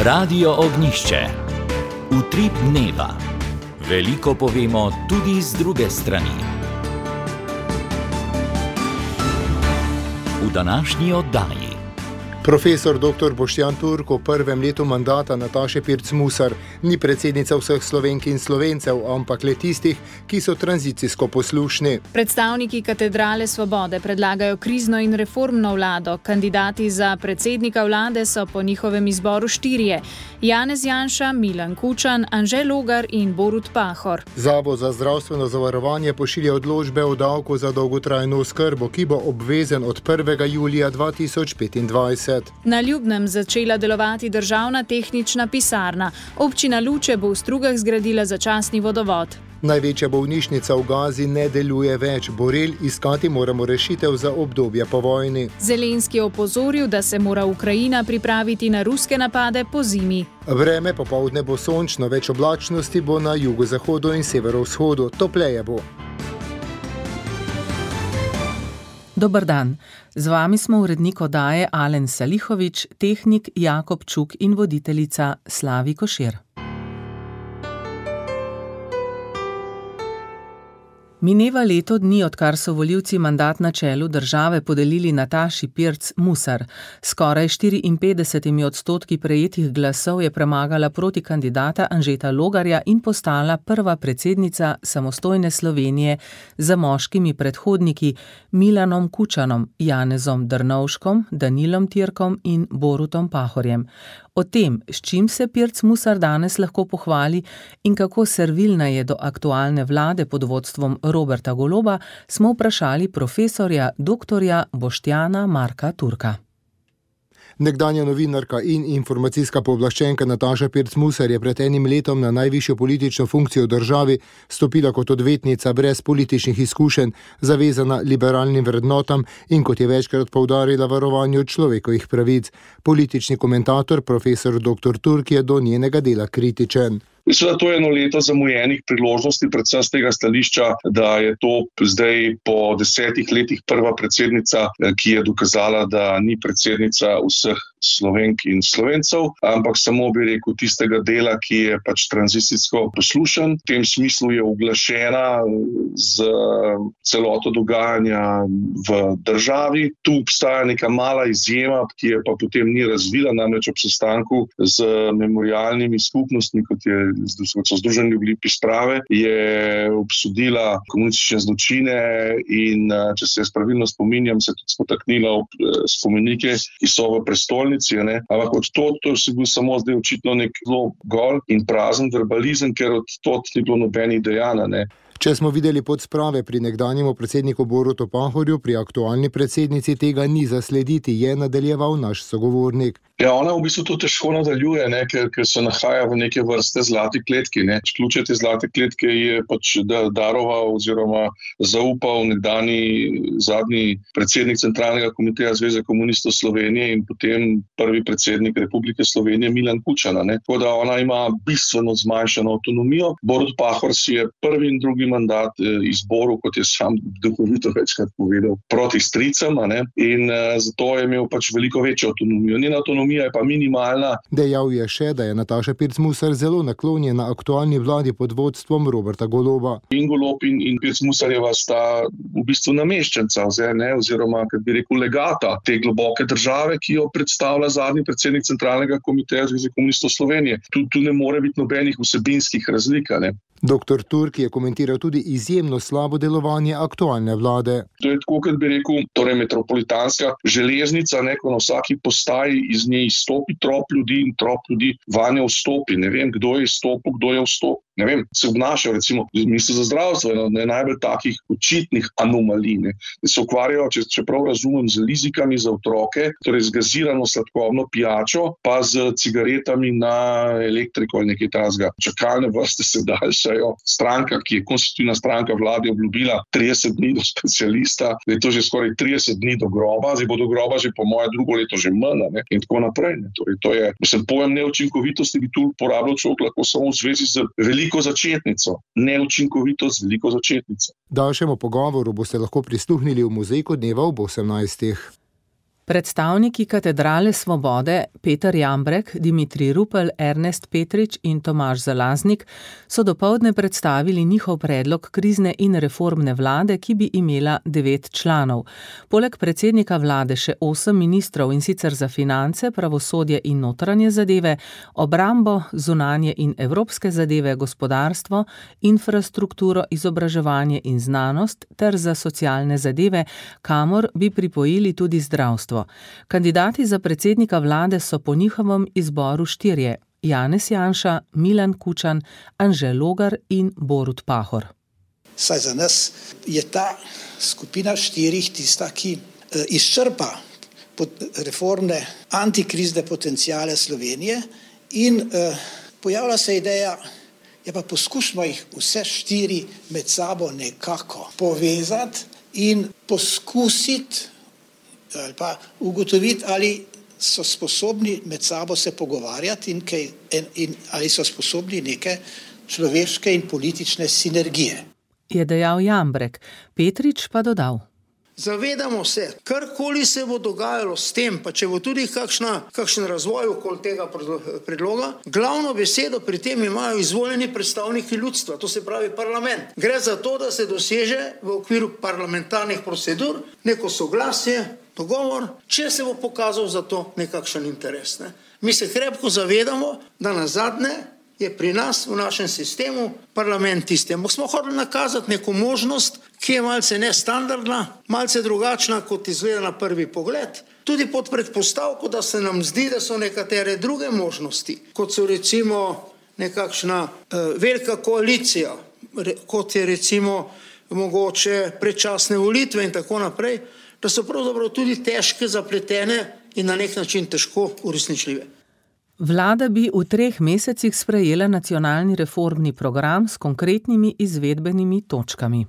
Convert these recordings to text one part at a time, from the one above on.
Radio Ognjišče. Utrip dneva. Veliko povemo tudi z druge strani. V današnji oddaji. Profesor dr. Boštjan Turk v prvem letu mandata Nataše Pirc Musar ni predsednica vseh Slovenk in Slovencev, ampak le tistih, ki so tranzicijsko poslušni. Predstavniki Katedrale Svobode predlagajo krizno in reformno vlado. Kandidati za predsednika vlade so po njihovem izboru 4: Janez Janša, Milan Kučan, Anže Logar in Borut Pahor. Zavod za zdravstveno zavarovanje pošilja odločbe o davku za dolgotrajno oskrbo, ki bo obvezen od 1. julija 2025. Na Ljubnem začela delovati državna tehnična pisarna. Občina Luče bo v Strugah zgradila začasni vodovod. Največja bolnišnica v Gazi ne deluje več. Borel, iskati moramo rešitev za obdobje po vojni. Zelenski je opozoril, da se mora Ukrajina pripraviti na ruske napade po zimi. Vreme popoldne bo sončno, več oblačnosti bo na jugozahodu in severovzhodu, topleje bo. Dober dan. Z vami smo urednik oddaje Alen Salihovič, tehnik Jakob Čuk in voditeljica Slavi Košir. Mineva leto dni, odkar so volivci mandat na čelu države podelili Nataši Pirc Musar. Skoraj 54% prejetih glasov je premagala proti kandidata Anžeta Logarja in postala prva predsednica samostojne Slovenije za moškimi predhodniki Milanom Kučanom, Janezom Drnovškom, Danilom Tirkom in Borutom Pahorjem. O tem, s čim se Pirc Musar danes lahko pohvali in kako servilna je do aktualne vlade pod vodstvom Roberta Goloba, smo vprašali profesorja dr. Boštjana Marka Turka. Nekdanja novinarka in informacijska pooblaščenka Nataša Pirc Musar je pred enim letom na najvišjo politično funkcijo v državi stopila kot odvetnica brez političnih izkušenj, zavezana liberalnim vrednotam in, kot je večkrat poudarila, varovanju človekovih pravic. Politični komentator profesor dr. Turk je do njenega dela kritičen. Mislim, da to je eno leto zamujenih priložnosti, predvsem z tega stališča, da je to zdaj po 10 letih prva predsednica, ki je dokazala, da ni predsednica vseh Slovenk in Slovencev, ampak samo bi rekel tistega dela, ki je pač tranzicijsko poslušen. V tem smislu je uglašena z celoto dogajanja v državi. Tu obstaja neka mala izjema, ki je pa potem ni razvila, namreč ob sestanku z memorialnimi skupnostmi, kot so Združeni Ljubljipi sprave, je obsodila komunistične zločine in, če se jaz pravilno spominjam, se tudi spotaknila ob spomenike, ki so v prestolnici. Ampak od to se bil samo zdaj očitno nek zelo gol in prazen verbalizem, ker od tot ni bilo nobenih dejanj. Če smo videli podsprave pri nekdanjemu predsedniku Borutu Pahorju, pri aktualni predsednici tega ni zaslediti, je nadaljeval naš sogovornik. Ja, ona v bistvu to težko nadaljuje, ker se nahaja v neke vrste zlati kletki. Ključe te zlate kletke je pač daroval oziroma zaupal nekdanji zadnji predsednik Centralnega komiteja Zveze komunistov Slovenije in potem prvi predsednik Republike Slovenije Milan Kučan. Tako da ona ima bistveno zmanjšano avtonomijo. Borut Pahor si je prvi in drugi mandat izboril, kot je sam duhovito večkrat povedal, proti stricam, in zato je imel pač veliko večjo avtonomijo. Njena avtonomija je pa minimalna. Dejal je še, da je Nataša Pirc Musar zelo naklonjena aktualni vladi pod vodstvom Roberta Goloba. In Golob in Pirc Musarjeva sta v bistvu nameščenca, oziroma, kad bi rekel, legata te globoke države, ki jo predstavlja zadnji predsednik Centralnega komiteja Zveze komunistov Slovenije. Tu ne more biti nobenih vsebinskih razlik. Dr. Turk je komentiral tudi izjemno slabo delovanje aktualne vlade. To je tako, kot bi rekel, metropolitanska železnica, ko na vsaki postaji iz nje izstopi trop ljudi in trop ljudi vanjo vstopi. Ne vem, kdo je izstopil, kdo je vstopil. Ne vem, se obnašajo, recimo, minister za zdravstvo, najbolj takih očitnih anomalij, da se ukvarjajo, če prav razumem, z lizikami za otroke, torej z gazirano sladkobno pijačo, pa z cigaretami na elektriko ali nekaj takega. Čakalne vrste se daljšajo. Stranka, ki je konstitutivna stranka vlade, obljubila 30 dni do specialista, da je to že skoraj 30 dni do groba, zdaj bo do groba že po moje drugo leto že manj, in tako naprej. Torej, to je, pojem neučinkovitosti bi tu uporabljal človek lahko samo v zvezi z veliko začetnico, neučinkovitost veliko začetnico. Daljšemu pogovoru boste lahko prisluhnili v Muzejku dneva ob 18. Predstavniki Katedrale Svobode Peter Jambrek, Dimitrij Rupel, Ernest Petrič in Tomaž Zalaznik so dopoldne predstavili njihov predlog krizne in reformne vlade, ki bi imela 9 članov. Poleg predsednika vlade še 8 ministrov, in sicer za finance, pravosodje in notranje zadeve, obrambo, zunanje in evropske zadeve, gospodarstvo, infrastrukturo, izobraževanje in znanost ter za socialne zadeve, kamor bi pripojili tudi zdravstvo. Kandidati za predsednika vlade so po njihovem izboru 4: Janez Janša, Milan Kučan, Anže Logar in Borut Pahor. Saj za nas je ta skupina 4 tista, ki izčrpa reformne antikrizne potencijale Slovenije in pojavlja se ideja, ja pa poskušamo jih vse 4 med sabo nekako povezati in poskusiti ali pa ugotoviti, ali so sposobni med sabo se pogovarjati in ali so sposobni neke človeške in politične sinergije. Je dejal Jambrek, Petrič pa dodal. Zavedamo se, karkoli se bo dogajalo s tem, pa če bo tudi kakšen razvoj okoli tega predloga, glavno besedo pri tem imajo izvoljeni predstavniki ljudstva, to se pravi parlament. Gre za to, da se doseže v okviru parlamentarnih procedur neko soglasje, dogovor, če se bo pokazal za to nekakšen interes. Mi se krepko zavedamo, da nazadnje je pri nas v našem sistemu parlament tisti. Ampak smo hoteli nakazati neko možnost, ki je malce nestandardna, malce drugačna, kot izgleda na prvi pogled, tudi pod predpostavko, da se nam zdi, da so nekatere druge možnosti, kot so recimo nekakšna velika koalicija, kot je recimo mogoče predčasne volitve in tako naprej, da so pravzaprav tudi težke, zapletene in na nek način težko uresničljive. Vlada bi v 3 mesecih sprejela nacionalni reformni program s konkretnimi izvedbenimi točkami.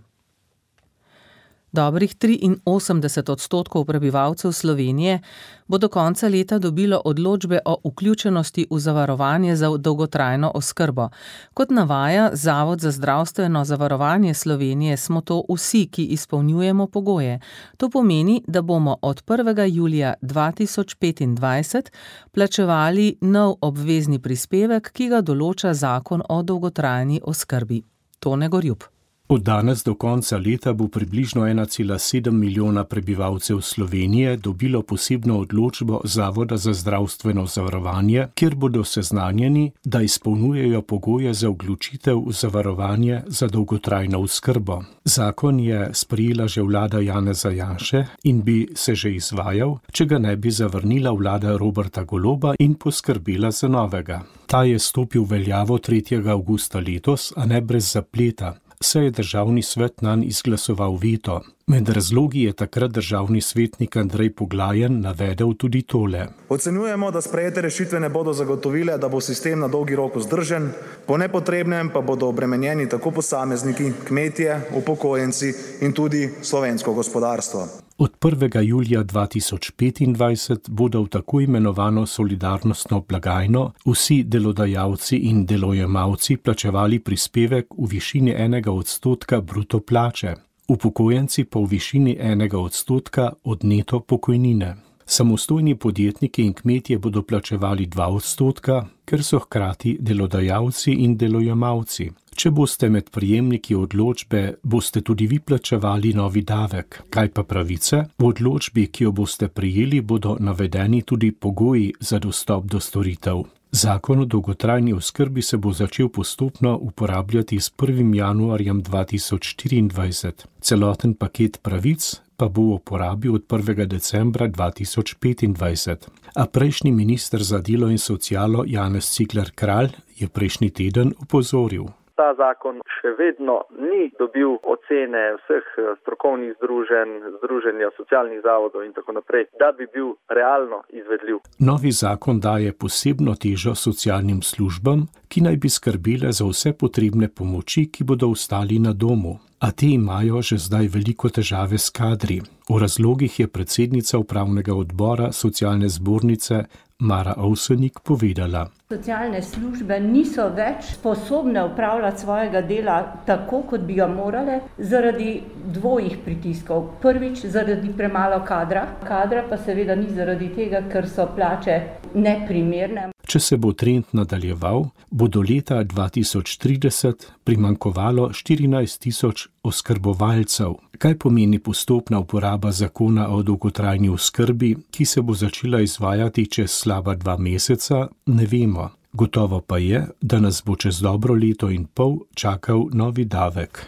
Dobrih 83% prebivalcev Slovenije bo do konca leta dobilo odločbe o vključenosti v zavarovanje za dolgotrajno oskrbo. Kot navaja Zavod za zdravstveno zavarovanje Slovenije, smo to vsi, ki izpolnjujemo pogoje. To pomeni, da bomo od 1. julija 2025 plačevali nov obvezni prispevek, ki ga določa Zakon o dolgotrajni oskrbi. Tone Gorjup. Od danes do konca leta bo približno 1,7 milijona prebivalcev Slovenije dobilo posebno odločbo Zavoda za zdravstveno zavarovanje, kjer bodo seznanjeni, da izpolnjujejo pogoje za vključitev v zavarovanje za dolgotrajno oskrbo. Zakon je sprejela že vlada Janeza Janše in bi se že izvajal, če ga ne bi zavrnila vlada Roberta Goloba in poskrbela za novega. Ta je stopil v veljavo 3. avgusta letos, a ne brez zapleta. Saj je državni svet nanj izglasoval veto. Med razlogi je takrat državni svetnik Andrej Poglajen navedel tudi tole. Ocenjujemo, da sprejete rešitve ne bodo zagotovile, da bo sistem na dolgi rok vzdržen, po nepotrebnem pa bodo obremenjeni tako posamezniki, kmetje, upokojenci in tudi slovensko gospodarstvo. Od 1. julija 2025 bodo v tako imenovano solidarnostno blagajno vsi delodajalci in delojemalci plačevali prispevek v višini 1% bruto plače, upokojenci pa v višini 1% od neto pokojnine. Samostojni podjetniki in kmetje bodo plačevali 2%, ker so hkrati delodajalci in delojemalci. Če boste med prejemniki odločbe, boste tudi vi plačevali novi davek. Kaj pa pravice? V odločbi, ki jo boste prejeli, bodo navedeni tudi pogoji za dostop do storitev. Zakon o dolgotrajni oskrbi se bo začel postopno uporabljati s 1. januarjem 2024. Celoten paket pravic pa bo v uporabi od 1. decembra 2025. A prejšnji minister za delo in socialo Janez Cigler Kralj je prejšnji teden opozoril. Ta zakon še vedno ni dobil ocene vseh strokovnih združenj, združenja socialnih zavodov in tako naprej, da bi bil realno izvedljiv. Novi zakon daje posebno težo socialnim službam, ki naj bi skrbele za vse potrebne pomoči, ki bodo ostali na domu. a te imajo že zdaj veliko težave s kadri. O razlogih je predsednica upravnega odbora socialne zbornice Mara Ovsenik povedala. Socialne službe niso več sposobne upravljati svojega dela tako, kot bi ga morale, zaradi dvojih pritiskov. Prvič, zaradi premalo kadra. Kadra pa seveda ni zaradi tega, ker so plače neprimerne. Če se bo trend nadaljeval, bo do leta 2030 primanjkovalo 14.000 oskrbovalcev. Kaj pomeni postopna uporaba zakona o dolgotrajni oskrbi, ki se bo začela izvajati čez slaba 2 meseca, ne vemo. Gotovo pa je, da nas bo čez dobro leto in pol čakal novi davek.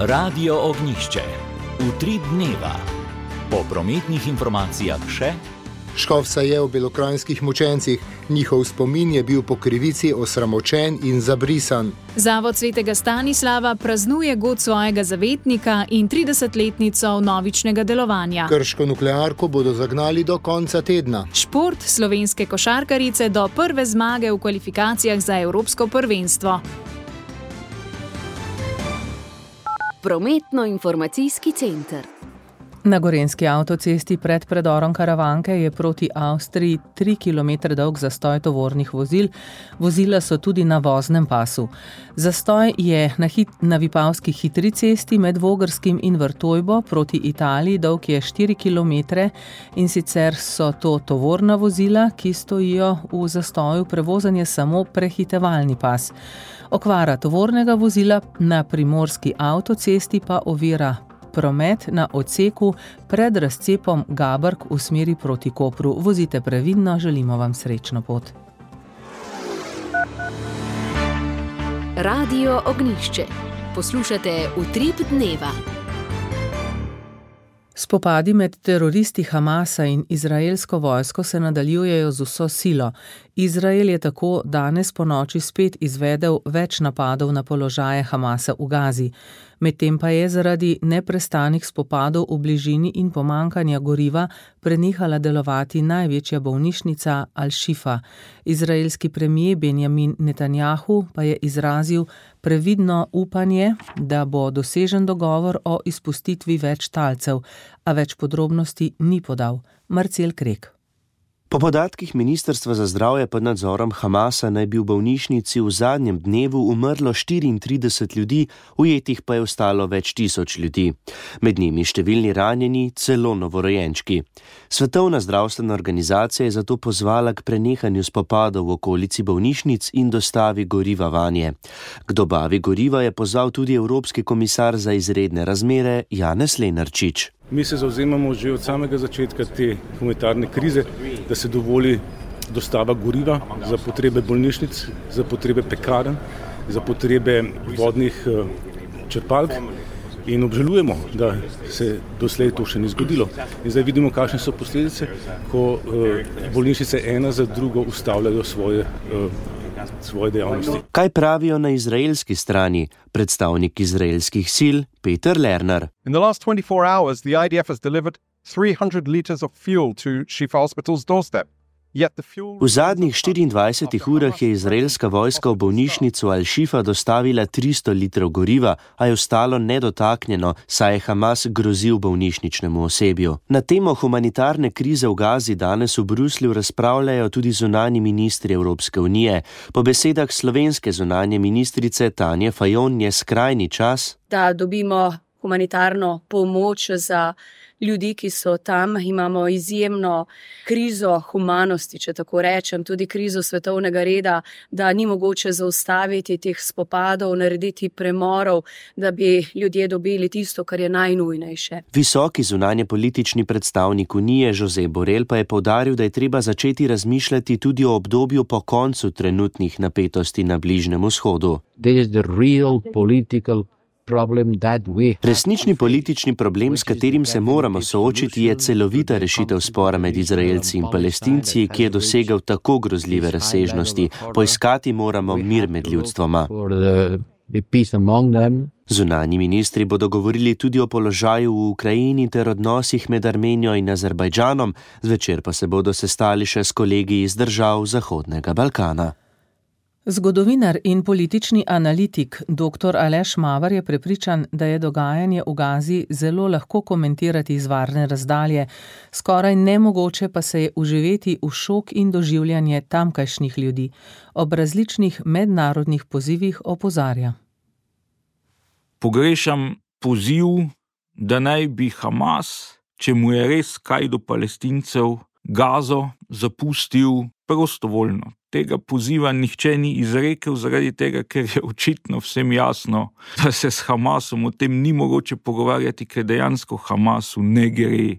Radio Ognjišče. Utrip dneva. Po prometnih informacijah še. Škof se je v belokranjskih mučencih. Njihov spomin je bil po krivici osramočen in zabrisan. Zavod svetega Stanislava praznuje god svojega zavetnika in 30-letnico vnovičnega delovanja. Krško nuklearko bodo zagnali do konca tedna. Šport slovenske košarkarice do prve zmage v kvalifikacijah za Evropsko prvenstvo. Prometno-informacijski center. Na gorenjski avtocesti pred predorom Karavanke je proti Avstriji 3 km dolg zastoj tovornih vozil. Vozila so tudi na voznem pasu. Zastoj je na Vipavski hitri cesti med Vogrskim in Vrtojbo proti Italiji, dolg je 4 km in sicer so to tovorna vozila, ki stojijo v zastoju, prevozen je samo prehitevalni pas. Okvara tovornega vozila na primorski avtocesti pa ovira promet na odseku pred razcepom Gabrk v smeri proti Kopru. Vozite previdno, želimo vam srečno pot. Radio Ognjišče. Poslušate Utrip dneva. Spopadi med teroristi Hamasa in izraelsko vojsko se nadaljujejo z vso silo. Izrael je tako danes ponoči spet izvedel več napadov na položaje Hamasa v Gazi. Medtem pa je zaradi neprestanih spopadov v bližini in pomankanja goriva prenehala delovati največja bolnišnica Al-Šifa. Izraelski premier Benjamin Netanjahu pa je izrazil previdno upanje, da bo dosežen dogovor o izpustitvi več talcev, a več podrobnosti ni podal. Marcel Krek. Po podatkih Ministrstva za zdravje pod nadzorom Hamasa naj bi v bolnišnici v zadnjem dnevu umrlo 34 ljudi, ujetih pa je ostalo več tisoč ljudi. Med njimi številni ranjeni, celo novorojenčki. Svetovna zdravstvena organizacija je zato pozvala k prenehanju spopadov v okolici bolnišnic in dostavi goriva vanje. K dobavi goriva je pozval tudi Evropski komisar za izredne razmere Janez Lenarčič. Mi se zavzemamo že od samega začetka te humanitarne krize, da se dovoli dostava goriva za potrebe bolnišnic, za potrebe pekarn, za potrebe vodnih črpalk in obžalujemo, da se doslej to še ni zgodilo. In zdaj vidimo, kakšne so posledice, ko bolnišnice ena za drugo ustavljajo svoje dejavnosti. Kaj pravijo na izraelski strani? Predstavnik izraelskih sil Peter Lerner. In the last 24 hours, the IDF has delivered 300 liters of fuel to Shifa Hospital's doorstep. V zadnjih 24 urah je izraelska vojska v bolnišnico Al-Šifa dostavila 300 litrov goriva, a je ostalo nedotaknjeno, saj je Hamas grozil bolnišničnemu osebju. Na temo humanitarne krize v Gazi danes v Bruslju razpravljajo tudi zunanji ministri Evropske unije. Po besedah slovenske zunanje ministrice Tanje Fajon je skrajni čas, da dobimo humanitarno pomoč za ljudi, ki so tam. Imamo izjemno krizo humanosti, če tako rečem, tudi krizo svetovnega reda, da ni mogoče zaustaviti teh spopadov, narediti premorov, da bi ljudje dobili tisto, kar je najnujnejše. Visoki zunanjepolitični predstavnik Unije Josep Borrell pa je poudaril, da je treba začeti razmišljati tudi o obdobju po koncu trenutnih napetosti na Bližnjem vzhodu. Resnični politični problem, s katerim se moramo soočiti, je celovita rešitev spora med Izraelci in Palestinci, ki je dosegel tako grozljive razsežnosti. Poiskati moramo mir med ljudstvoma. Zunanji ministri bodo govorili tudi o položaju v Ukrajini ter odnosih med Armenijo in Azerbajdžanom, zvečer pa se bodo sestali še s kolegi iz držav Zahodnega Balkana. Zgodovinar in politični analitik dr. Aleš Maver je prepričan, da je dogajanje v Gazi zelo lahko komentirati iz varne razdalje, skoraj nemogoče pa se je uživeti v šok in doživljanje tamkajšnjih ljudi. Ob različnih mednarodnih pozivih opozarja. Pogrešam poziv, da naj bi Hamas, če mu je res kaj do Palestincev, Gazo zapustil prostovoljno. Tega poziva nihče ni izrekel zaradi tega, ker je očitno vsem jasno, da se s Hamasom o tem ni mogoče pogovarjati, ker dejansko Hamasu ne gre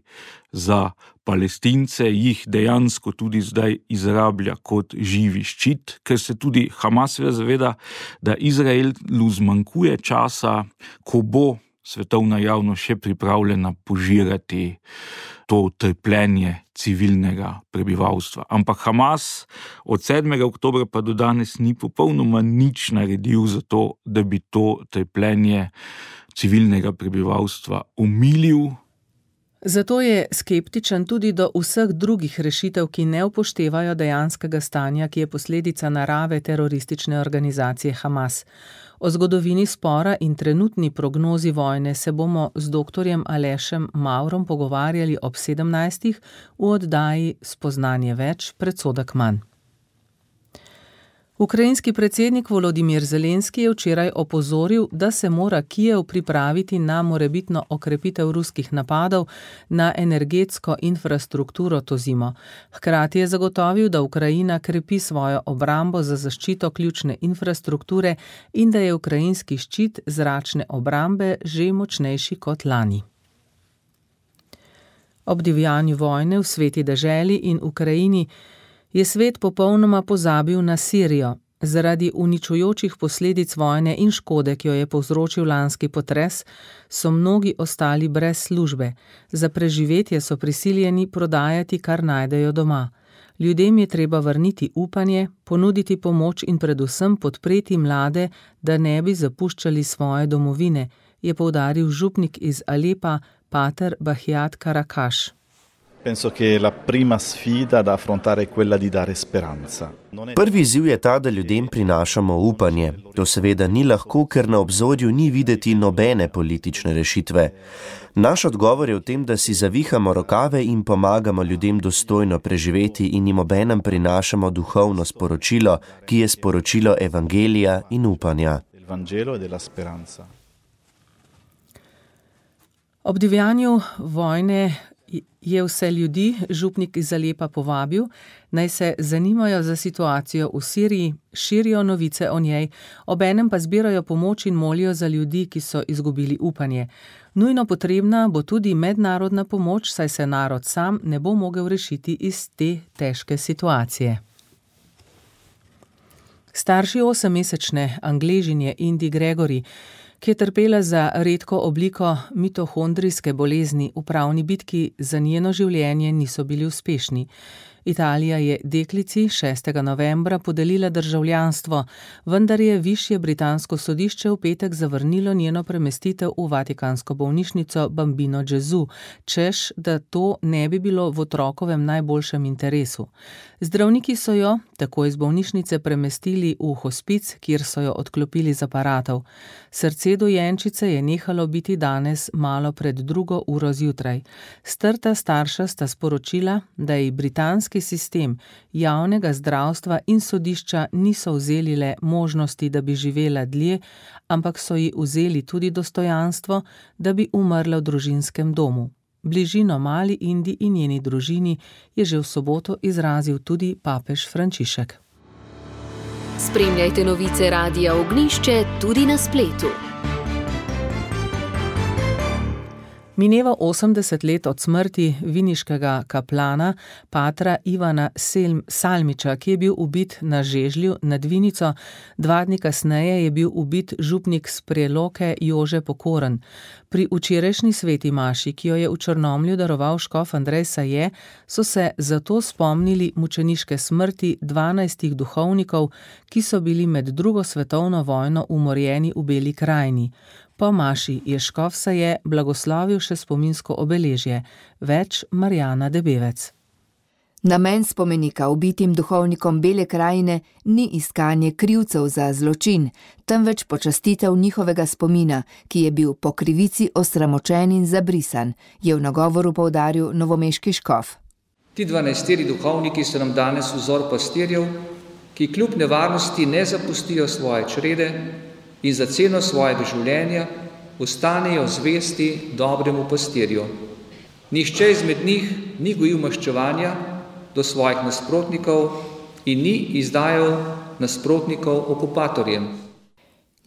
za Palestince, jih dejansko tudi zdaj izrablja kot živi ščit, ker se tudi Hamas zaveda, da Izraelu zmanjkuje časa, ko bo svetovna javnost še pripravljena požirati to trpljenje civilnega prebivalstva. Ampak Hamas od 7. oktobra pa do danes ni popolnoma nič naredil za to, da bi to trpljenje civilnega prebivalstva omilil. Zato je skeptičen tudi do vseh drugih rešitev, ki ne upoštevajo dejanskega stanja, ki je posledica narave teroristične organizacije Hamas. O zgodovini spora in trenutni prognozi vojne se bomo z dr. Alešem Mavrom pogovarjali ob 17. v oddaji Spoznanje več, predsodek manj. Ukrajinski predsednik Volodimir Zelenski je včeraj opozoril, da se mora Kijev pripraviti na morebitno okrepitev ruskih napadov na energetsko infrastrukturo to zimo. Hkrati je zagotovil, da Ukrajina krepi svojo obrambo za zaščito ključne infrastrukture in da je ukrajinski ščit zračne obrambe že močnejši kot lani. Ob divjanju vojne v sveti deželi in Ukrajini je svet popolnoma pozabil na Sirijo. Zaradi uničujočih posledic vojne in škode, ki jo je povzročil lanski potres, so mnogi ostali brez službe. Za preživetje so prisiljeni prodajati, kar najdejo doma. Ljudem je treba vrniti upanje, ponuditi pomoč in predvsem podpreti mlade, da ne bi zapuščali svoje domovine, je poudaril župnik iz Alepa, pater Bahjat Karakaš. Penso che la prima sfida da affrontare è quella di dare speranza. Prvi izziv je ta, da ljudem prinašamo upanje. To seveda ni lahko, ker na obzorju ni videti nobene politične rešitve. Naš odgovor je v tem, da si zavihamo rokave in pomagamo ljudem dostojno preživeti in jim obenem prinašamo duhovno sporočilo, ki je sporočilo evangelija in upanja. Ob divjanju vojne je vse ljudi župnik iz Alepa povabil, naj se zanimajo za situacijo v Siriji, širijo novice o njej, obenem pa zbirajo pomoč in molijo za ljudi, ki so izgubili upanje. Nujno potrebna bo tudi mednarodna pomoč, saj se narod sam ne bo mogel rešiti iz te težke situacije. Starši 8-mesečne Angležinje Indi Gregory, ki je trpela za redko obliko mitohondrijske bolezni, v pravni bitki za njeno življenje niso bili uspešni. Italija je deklici 6. novembra podelila državljanstvo, vendar je višje britansko sodišče v petek zavrnilo njeno premestitev v vatikansko bolnišnico Bambino Gesù, češ, da to ne bi bilo v otrokovem najboljšem interesu. Zdravniki so jo tako iz bolnišnice premestili v hospic, kjer so jo odklopili z aparatov. Srce dojenčice je nehalo biti danes malo pred 2. uro zjutraj. Strta starša sta sporočila, da je britanski sistem javnega zdravstva in sodišča niso vzeli le možnosti, da bi živela dlje, ampak so ji vzeli tudi dostojanstvo, da bi umrla v družinskem domu. Bližino mali Indi in njeni družini je že v soboto izrazil tudi papež Frančišek. Spremljajte novice Radia Ognjišče tudi na spletu. Mineva 80 let od smrti viniškega kaplana, patra Ivana Salmiča, ki je bil ubit na Žežlju nad Vinico. 2 dni kasneje je bil ubit župnik s Preloke Jože Pokoren. Pri včerajšnji sveti maši, ki jo je v Črnomlju daroval škof Andrej Saje, so se zato spomnili mučeniške smrti 12 duhovnikov, ki so bili med 2. svetovno vojno umorjeni v Beli krajini. Po maši je škof Saje blagoslovil še spominsko obeležje. Več Marjana Debevec. Namen spomenika ubitim duhovnikom Bele krajine ni iskanje krivcev za zločin, temveč počastitev njihovega spomina, ki je bil po krivici osramočen in zabrisan, je v nagovoru poudaril novomeški škof. Ti 12 duhovniki so nam danes vzor pastirjev, ki kljub nevarnosti ne zapustijo svoje črede in za ceno svojega življenja ostanejo zvesti dobremu pastirju. Nihče izmed njih ni gojil maščevanja do svojih nasprotnikov in ni izdajal nasprotnikov okupatorjem.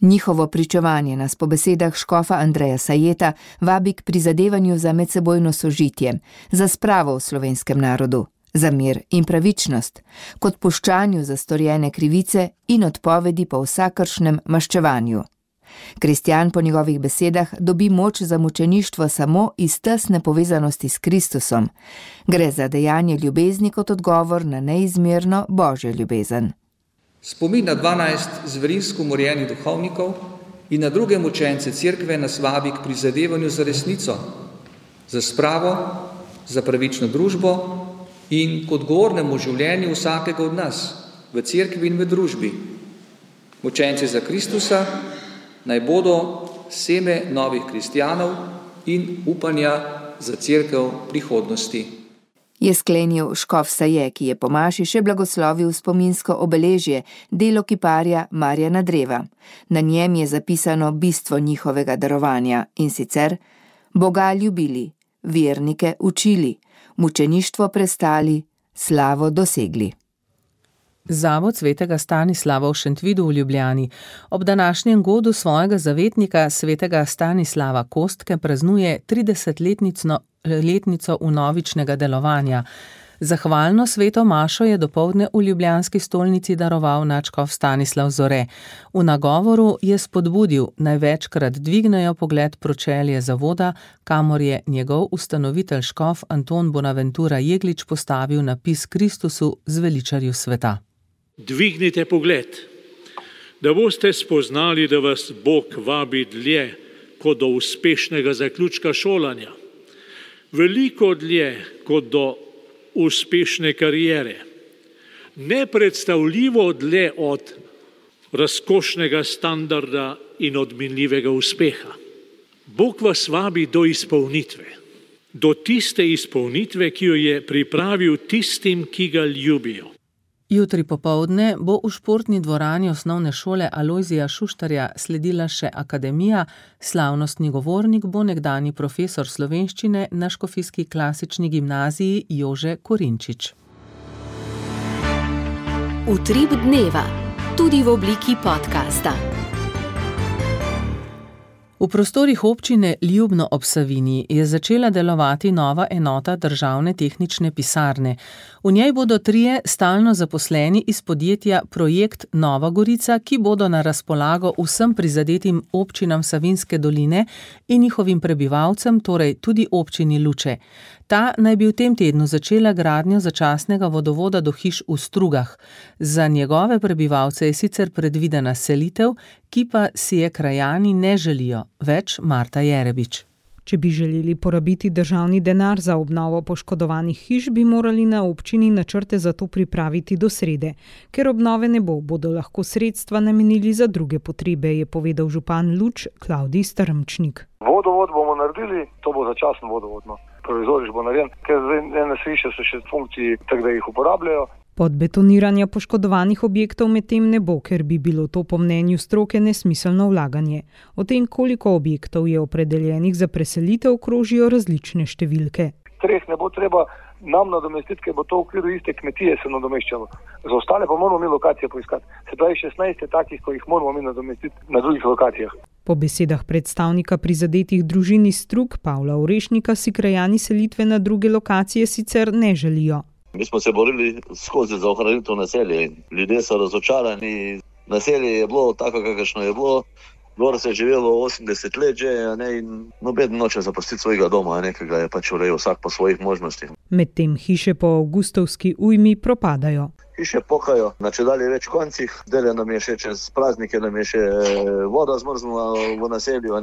Njihovo pričevanje nas po besedah škofa Andreja Sajeta vabi k prizadevanju za medsebojno sožitje, za spravo v slovenskem narodu, za mir in pravičnost, k odpuščanju za storjene krivice in odpovedi po vsakršnem maščevanju. Kristjan po njegovih besedah dobi moč za mučeništvo samo iz tesne povezanosti s Kristusom. Gre za dejanje ljubezni kot odgovor na neizmerno Božjo ljubezen. Spomin na 12 zverinsko umorjenih duhovnikov in na druge mučence cerkve nas vabi k prizadevanju za resnico, za spravo, za pravično družbo in k odgovornemu življenju vsakega od nas v cerkvi in v družbi. Mučenci za Kristusa naj bodo seme novih kristjanov in upanja za cerkev prihodnosti. Je sklenil škof Saje, ki je po maši še blagoslovil spominsko obeležje, delo kiparja Marjana Dreva. Na njem je zapisano bistvo njihovega darovanja in sicer: Boga ljubili, vernike učili, mučeništvo prestali, slavo dosegli. Zavod svetega Stanislava v Šentvidu v Ljubljani ob današnjem godu svojega zavetnika svetega Stanislava Kostke praznuje 30-letnico vnovičnega delovanja. Zahvalno sveto mašo je dopoldne v ljubljanski stolnici daroval nadškof Stanislav Zore. V nagovoru je spodbudil, naj večkrat dvignejo pogled pročelje zavoda, kamor je njegov ustanovitelj škof Anton Bonaventura Jeglič postavil napis Kristusu zveličarju sveta. Dvignite pogled, da boste spoznali, da vas Bog vabi dlje kot do uspešnega zaključka šolanja, veliko dlje kot do uspešne kariere, nepredstavljivo dlje od razkošnega standarda in od minljivega uspeha. Bog vas vabi do izpolnitve, do tiste izpolnitve, ki jo je pripravil tistim, ki ga ljubijo. Jutri popoldne bo v športni dvorani osnovne šole Alojzija Šuštarja sledila še akademija, slavnostni govornik bo nekdanji profesor slovenščine na Škofijski klasični gimnaziji Jože Korinčič. Utrip dneva, tudi v obliki podcasta. V prostorih občine Ljubno ob Savinji je začela delovati nova enota državne tehnične pisarne. V njej bodo 3 stalno zaposleni iz podjetja Projekt Nova Gorica, ki bodo na razpolago vsem prizadetim občinam Savinjske doline in njihovim prebivalcem, torej tudi občini Luče. Ta naj bi v tem tednu začela gradnjo začasnega vodovoda do hiš v Strugah. Za njegove prebivalce je sicer predvidena selitev, ki pa si je krajani ne želijo. Več Marta Jerebič. Če bi želeli porabiti državni denar za obnovo poškodovanih hiš, bi morali na občini načrte za to pripraviti do srede. Ker obnove ne bo, bodo lahko sredstva namenili za druge potrebe, je povedal župan Luč Klavdij Strmčnik. Vodovod bomo naredili, to bo začasno vodovodno. Provizoriš bo narejen, ker ene hiše so še v funkciji, tako da jih uporabljajo. Podbetoniranja poškodovanih objektov medtem ne bo, ker bi bilo to po mnenju stroke nesmiselno vlaganje. O tem, koliko objektov je opredeljenih za preselitev, krožijo različne številke. 3 ne bo treba nam nadomestiti, ker bo to v okviru iste kmetije se nadomeščalo. Za ostale pa moramo mi lokacije poiskati. Se pravi 16 je takih, ko jih moramo mi nadomestiti na drugih lokacijah. Po besedah predstavnika prizadetih družin iz Strug, Pavla Orešnika, si krajani selitve na druge lokacije sicer ne želijo. Mi smo se borili skozi za ohranitev naselja. Ljudje so razočarani. Naselje je bilo tako, kakršno je bilo. Gor se je živelo 80 let že, in noben noče zapustiti svojega doma, ki ga je pač urejal vsak po svojih možnostih. Medtem hiše po avgustovski ujmi propadajo. Hiše pokajo na čedalje več koncih. Dele nam je še čez praznike, nam je še voda zmrznula v naselju.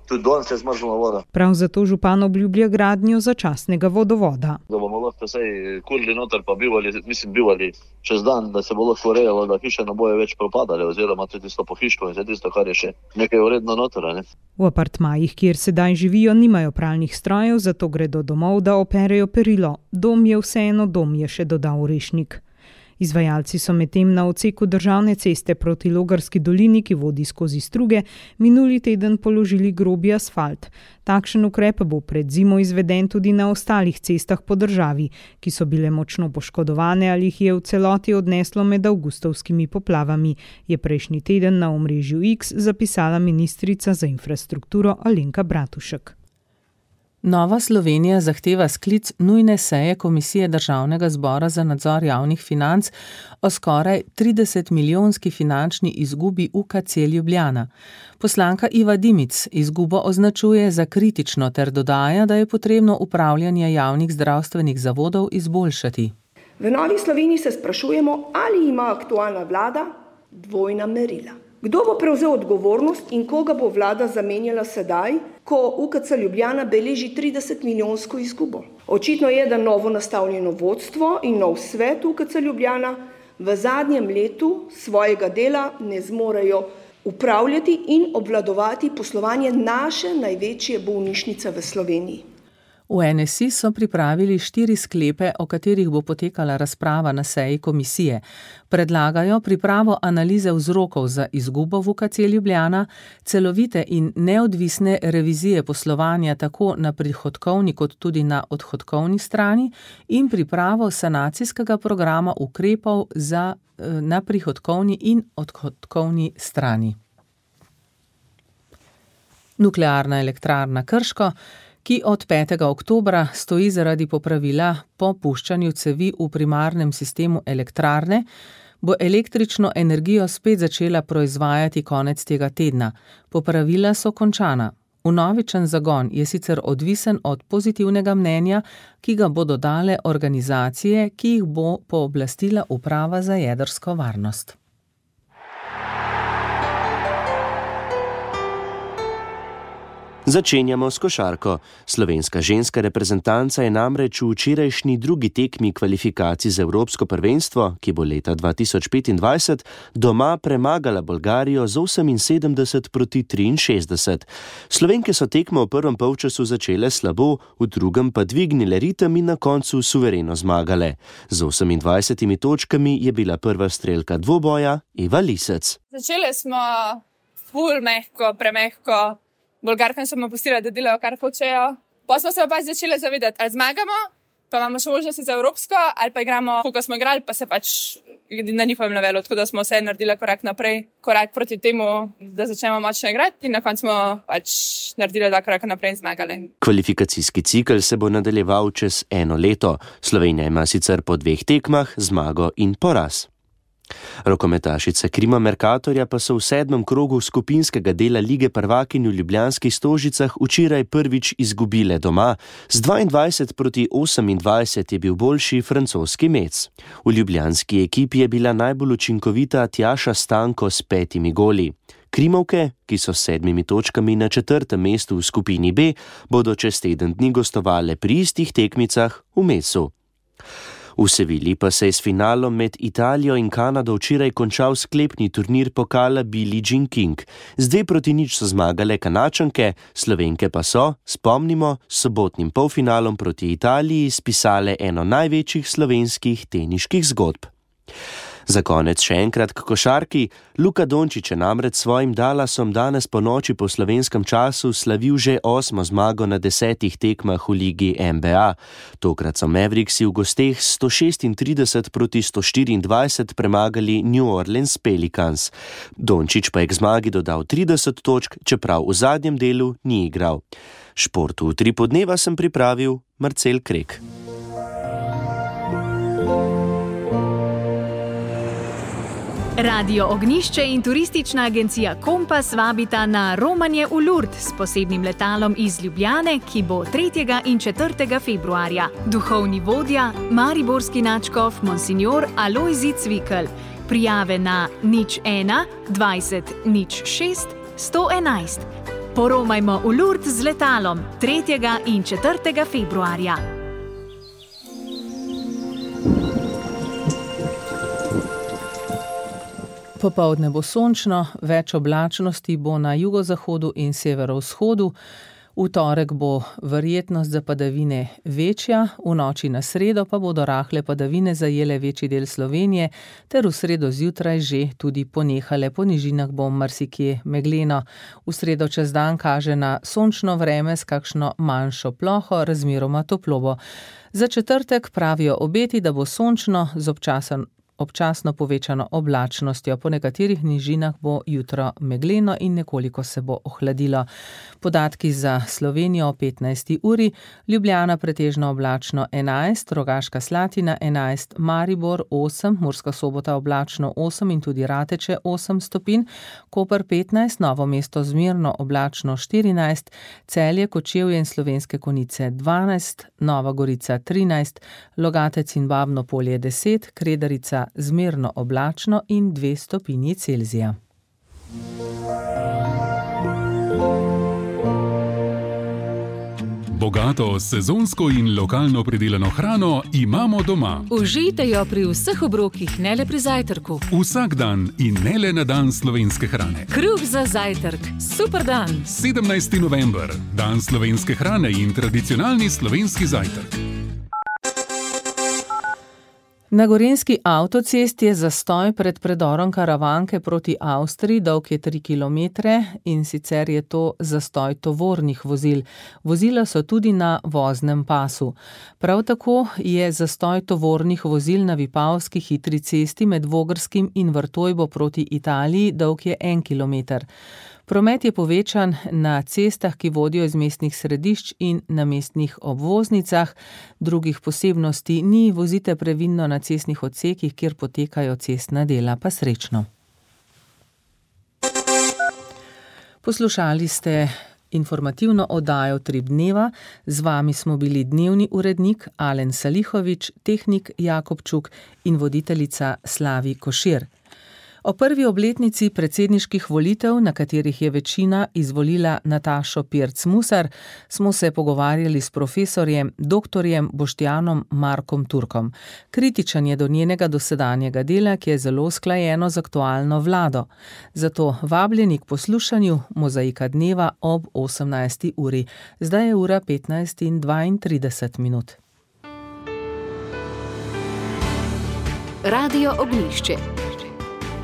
Tudi danes je zmrzla voda. Prav zato župan obljublja gradnjo začasnega vodovoda. Da bomo lahko vsej kurili noter pa bivali čez dan, da se bo lahko urejalo, da hiše ne bojo več propadale, oziroma tudi tisto pohištvo in vse tisto, kar je še nekaj vredno noter. Ne? V apartmajih, kjer sedaj živijo, nimajo pralnih strojev, zato gredo domov, da operejo perilo. Dom je vseeno dom, je še dodal Orešnik. Izvajalci so medtem na odseku državne ceste proti Logarski dolini, ki vodi skozi Struge, minuli teden položili grobi asfalt. Takšen ukrep bo pred zimo izveden tudi na ostalih cestah po državi, ki so bile močno poškodovane ali jih je v celoti odneslo med avgustovskimi poplavami, je prejšnji teden na omrežju X zapisala ministrica za infrastrukturo Alenka Bratušek. Nova Slovenija zahteva sklic nujne seje Komisije Državnega zbora za nadzor javnih financ o skoraj 30-milijonski finančni izgubi UKC Ljubljana. Poslanka Iva Dimic izgubo označuje za kritično ter dodaja, da je potrebno upravljanje javnih zdravstvenih zavodov izboljšati. V Novi Sloveniji se sprašujemo, ali ima aktualna vlada dvojna merila. Kdo bo prevzel odgovornost in koga bo vlada zamenjala sedaj, ko UKC Ljubljana beleži 30-milijonsko izgubo? Očitno je, da novo nastavljeno vodstvo in nov svet UKC Ljubljana v zadnjem letu svojega dela ne zmorejo upravljati in obvladovati poslovanje naše največje bolnišnice v Sloveniji. V NSI so pripravili 4 sklepe, o katerih bo potekala razprava na seji komisije. Predlagajo pripravo analize vzrokov za izgubo v UKC Ljubljana, celovite in neodvisne revizije poslovanja tako na prihodkovni kot tudi na odhodkovni strani in pripravo sanacijskega programa ukrepov na prihodkovni in odhodkovni strani. Nuklearna elektrarna Krško, ki od 5. oktobra stoji zaradi popravila po puščanju cevi v primarnem sistemu elektrarne, bo električno energijo spet začela proizvajati konec tega tedna. Popravila so končana. Vnovičen zagon je sicer odvisen od pozitivnega mnenja, ki ga bodo dale organizacije, ki jih bo pooblastila Uprava za jedrsko varnost. Začenjamo s košarko. Slovenska ženska reprezentanca je namreč v včerajšnji drugi tekmi kvalifikacij za Evropsko prvenstvo, ki bo leta 2025, doma premagala Bolgarijo z 78-63. Slovenke so tekmo v prvem polčasu začele slabo, v drugem pa dvignile ritem in na koncu suvereno zmagale. Z 28 točkami je bila prva strelka dvoboja Eva Lisec. Začele smo ful mehko, premehko. Bolgarkam smo pustili, da delajo, kar hočejo. Pa smo se pa začeli zavedati, ali zmagamo, pa imamo še možnosti za Evropsko, ali pa igramo, koliko smo igrali, pa se pač na njihovem levelu, tako da smo vse naredili korak naprej, korak proti temu, da začnemo močno igrati in na koncu smo pač naredili 2 koraka naprej in zmagali. Kvalifikacijski cikel se bo nadaljeval čez 1 leto. Slovenija ima sicer po 2 tekmah zmago in poraz. Rokometašice Krima Mercatorja pa so v 7. krogu skupinskega dela Lige prvakinj v Ljubljanskih Stožicah včeraj prvič izgubile doma. Z 22-28 je bil boljši francoski Metz. V ljubljanski ekipi je bila najbolj učinkovita Tjaša Stanko s 5 goli. Krimovke, ki so s 7 točkami na 4. mestu v skupini B, bodo čez teden dni gostovale pri istih tekmicah v Metzu. V Sevilji pa se je s finalom med Italijo in Kanado včeraj končal sklepni turnir pokala Billie Jean King. Z 2-0 so zmagale Kanačanke, Slovenke pa so, spomnimo, s sobotnim polfinalom proti Italiji spisale eno največjih slovenskih teniških zgodb. Za konec še enkrat k košarki. Luka Dončić je namreč svojim Dallasom danes po noči po slovenskem času slavil že 8. zmago na 10 tekmah v ligi NBA. Tokrat so Mavericksi v gosteh 136-124 premagali New Orleans Pelicans. Dončić pa je k zmagi dodal 30 točk, čeprav v zadnjem delu ni igral. Športu v 3 podneva sem pripravil Marcel Krek. Radio Ognjišče in turistična agencija Kompas vabita na romanje v Lourdes s posebnim letalom iz Ljubljane, ki bo 3. in 4. februarja. Duhovni vodja, mariborski nadškof Monsignor Alojzij Cvikl. Prijave na 01 20 06 111. Poromajmo v Lourdes z letalom 3. in 4. februarja. Popoldne bo sončno, več oblačnosti bo na jugozahodu in severovzhodu. V torek bo verjetnost za padavine večja, v noči na sredo pa bodo rahle padavine zajele večji del Slovenije, ter v sredo zjutraj že tudi ponehale, po nižinah bo marsikje megleno. V sredo čez dan kaže na sončno vreme s kakšno manjšo ploho, razmeroma toplo bo. Za četrtek pravijo obeti, da bo sončno z občasno povečano oblačnostjo. Po nekaterih nižinah bo jutro megleno in nekoliko se bo ohladilo. Podatki za Slovenijo o 15. uri: Ljubljana pretežno oblačno 11, Rogaška Slatina 11, Maribor 8, Murska Sobota oblačno 8 in tudi Rateče 8 stopinj, Koper 15, Novo mesto zmerno oblačno 14, Celje, Kočevje in Slovenske Konjice 12, Nova Gorica 13, Logatec in Babno Polje 10, Kredarica zmerno oblačno in 2 stopinji Celzija. Bogato, sezonsko in lokalno pridelano hrano imamo doma. Užijte jo pri vseh obrokih, ne le pri zajtrku. Vsak dan in ne le na dan slovenske hrane. Kruh za zajtrk, super dan. 17. november, dan slovenske hrane in tradicionalni slovenski zajtrk. Na gorenjski avtocesti je zastoj pred predorom Karavanke proti Avstriji, dolg je 3 kilometre, in sicer je to zastoj tovornih vozil. Vozila so tudi na voznem pasu. Prav tako je zastoj tovornih vozil na Vipavski hitri cesti med Vogrskim in Vrtojbo proti Italiji, dolg je 1 kilometer. Promet je povečan na cestah, ki vodijo iz mestnih središč in na mestnih obvoznicah. Drugih posebnosti ni, vozite previdno na cestnih odsekih, kjer potekajo cestna dela, pa srečno. Poslušali ste informativno oddajo Utrip dneva. Z vami smo bili dnevni urednik Alen Salihovič, tehnik Jakob Čuk in voditeljica Slavi Košir. O prvi obletnici predsedniških volitev, na katerih je večina izvolila Natašo Pirc Musar, smo se pogovarjali s profesorjem doktorjem Boštjanom Markom Turkom. Kritičen je do njenega dosedanjega dela, ki je zelo usklajeno z aktualno vlado. Zato vabljeni k poslušanju Mozaika dneva ob 18. uri. Zdaj je ura 15:32. Radio Ognjišče.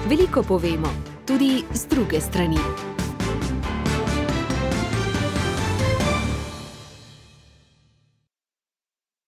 Veliko povemo, tudi z druge strani.